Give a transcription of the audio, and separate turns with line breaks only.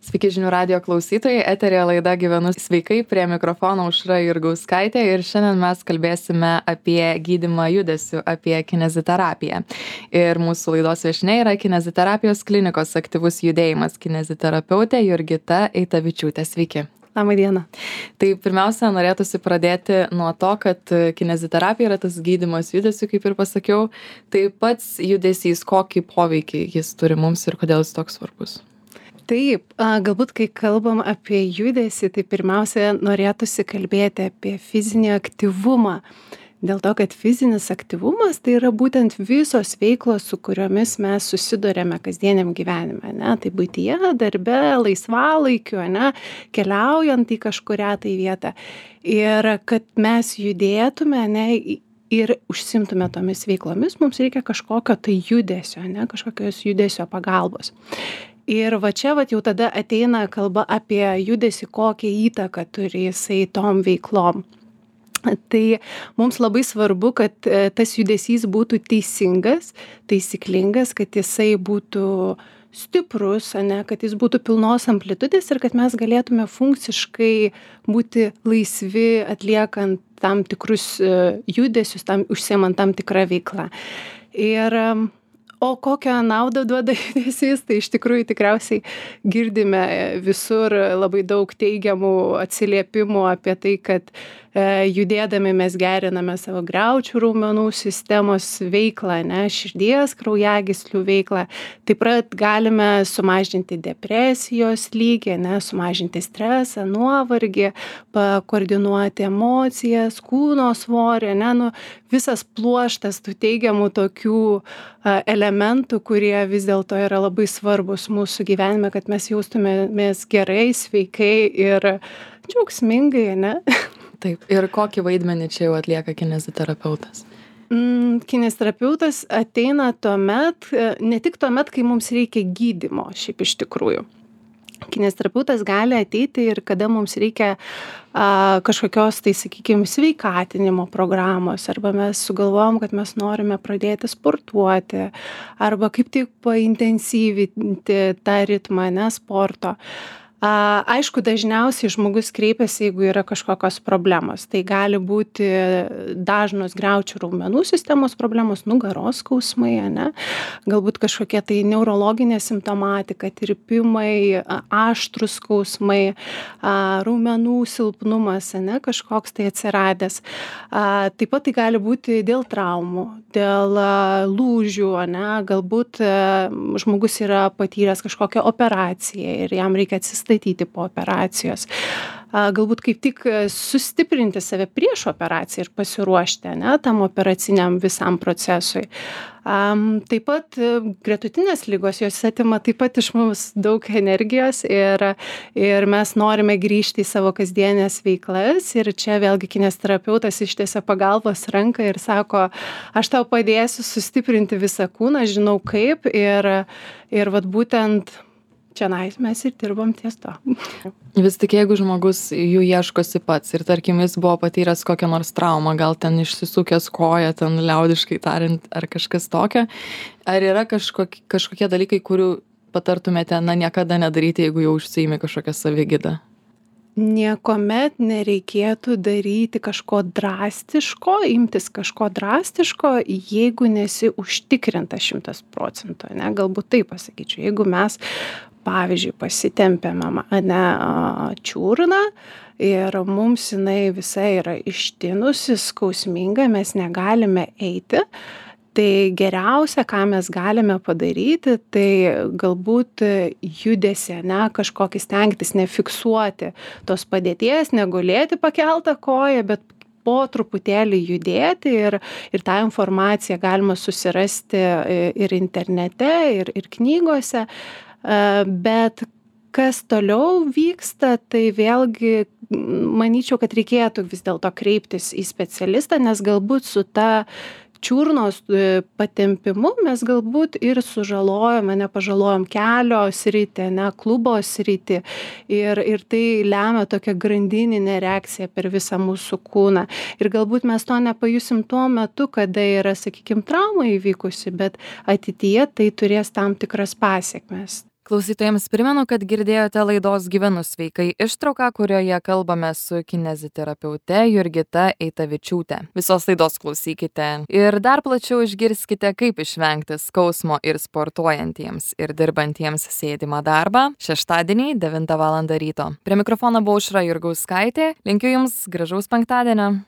Sveiki žinių radijo klausytojai, eterėje laida Gyvenu sveikai, prie mikrofono Aušra Jurgauskaitė ir šiandien mes kalbėsime apie gydymą judesiu, apie kineziterapiją. Ir mūsų laidos viešnia yra kineziterapijos klinikos aktyvus judėjimas kineziterapeutė Jurgita Eitavičiūtė. Sveiki.
Labą dieną.
Tai pirmiausia, norėtųsi pradėti nuo to, kad kineziterapija yra tas gydymas judesiu, kaip ir pasakiau. Tai pats judesys, kokį poveikį jis turi mums ir kodėl jis toks svarbus?
Taip, galbūt kai kalbam apie judesį, tai pirmiausia norėtųsi kalbėti apie fizinį aktyvumą. Dėl to, kad fizinis aktyvumas tai yra būtent visos veiklos, su kuriomis mes susidurėme kasdieniam gyvenime, ne? Tai buityje, darbe, laisvalaikiu, ne? Keliaujant į kažkurią tai vietą. Ir kad mes judėtume, ne? Ir užsimtume tomis veiklomis, mums reikia kažkokio tai judesio, ne? Kažkokios judesio pagalbos. Ir va čia jau tada ateina kalba apie judesį, kokią įtaką turi jisai tom veiklom. Tai mums labai svarbu, kad tas judesys būtų teisingas, taisyklingas, kad jisai būtų stiprus, ne, kad jis būtų pilnos amplitudės ir kad mes galėtume funkciškai būti laisvi atliekant tam tikrus judesius, užsiemant tam tikrą veiklą. O kokią naudą duoda judesys, tai iš tikrųjų tikriausiai girdime visur labai daug teigiamų atsiliepimų apie tai, kad judėdami mes geriname savo griaučių raumenų sistemos veiklą, ne, širdies, kraujagyslių veiklą. Taip pat galime sumažinti depresijos lygį, ne, sumažinti stresą, nuovargį, koordinuoti emocijas, kūno svorį, ne, visas pluoštas tų teigiamų tokių elementų, kurie vis dėlto yra labai svarbus mūsų gyvenime, kad mes jaustumėmės gerai, sveikai ir džiaugsmingai, ne?
Taip, ir kokį vaidmenį čia jau atlieka kineziterapeutas?
Kineziterapeutas ateina tuomet, ne tik tuomet, kai mums reikia gydymo, šiaip iš tikrųjų. Kineziterapeutas gali ateiti ir kada mums reikia kažkokios, tai sakykime, sveikatinimo programos, arba mes sugalvojom, kad mes norime pradėti sportuoti, arba kaip tik paintensyvinti tą ritmą, ne, sporto. Aišku, dažniausiai žmogus kreipiasi, jeigu yra kažkokios problemos. Tai gali būti dažnos griaučių raumenų sistemos problemos, nugaros skausmai, ne? Galbūt kažkokie tai neurologinė simptomatika, tirpimai, aštrūs skausmai, raumenų silpnumas, ne? Kažkoks tai atsiradęs. Taip pat tai gali būti dėl traumų, dėl lūžių, ne? Galbūt žmogus yra patyręs kažkokią operaciją ir jam reikia atsistatyti po operacijos. Galbūt kaip tik sustiprinti save prieš operaciją ir pasiruošti, ne, tam operaciniam visam procesui. Taip pat gretutinės ligos, jos atima taip pat iš mums daug energijos ir mes norime grįžti į savo kasdienės veiklas ir čia vėlgi kineziterapeutas ištiesia pagalbos ranką ir sako, aš tau padėsiu sustiprinti visą kūną, žinau kaip ir vat būtent čianais mes ir dirbam ties to.
Vis tik jeigu žmogus jų ieškosi pats ir tarkim jis buvo patyręs kokią nors traumą, gal ten išsisukęs koją, ten liaudiškai tariant, ar kažkas tokio, ar yra kažkokie dalykai, kurių patartumėte, niekada nedaryti, jeigu jau užsiimi kažkokią savigydą?
Niekuomet nereikėtų daryti kažko drastiško, imtis kažko drastiško, jeigu nesi užtikrinta 100%, ne, galbūt taip pasakyčiau. Jeigu mes, pavyzdžiui, pasitempėme čiurną ir mums jinai visa yra ištinusi, skausminga, mes negalime eiti, tai geriausia, ką mes galime padaryti, tai galbūt judesį, ne, kažkokį stengtis nefiksuoti tos padėties, negulėti pakeltą koją, bet po truputėlį judėti ir tą informaciją galima susirasti ir internete, ir knygose, bet kas toliau vyksta, tai vėlgi manyčiau, kad reikėtų vis dėlto kreiptis į specialistą, nes galbūt su ta čiurnos patempimu mes galbūt ir sužalojame, nepažalojom kelio sritį, ne, klubo sritį ir tai lemia tokią grandininę reakciją per visą mūsų kūną. Ir galbūt mes to nepajusim tuo metu, kada yra, sakykime, trauma įvykusi, bet ateityje tai turės tam tikras pasekmes.
Klausytojams primenu, kad girdėjote laidos Gyvenu sveikai ištrauką, kurioje kalbame su kineziterapeute Jurgita Eitavičiūte. Visos laidos klausykite ir dar plačiau išgirskite, kaip išvengti skausmo ir sportuojantiems ir dirbantiems sėdimą darbą šeštadienį 9 val. Ryto. Prie mikrofono buvo Aušra Jurgauskaitė. Linkiu Jums gražaus penktadienio.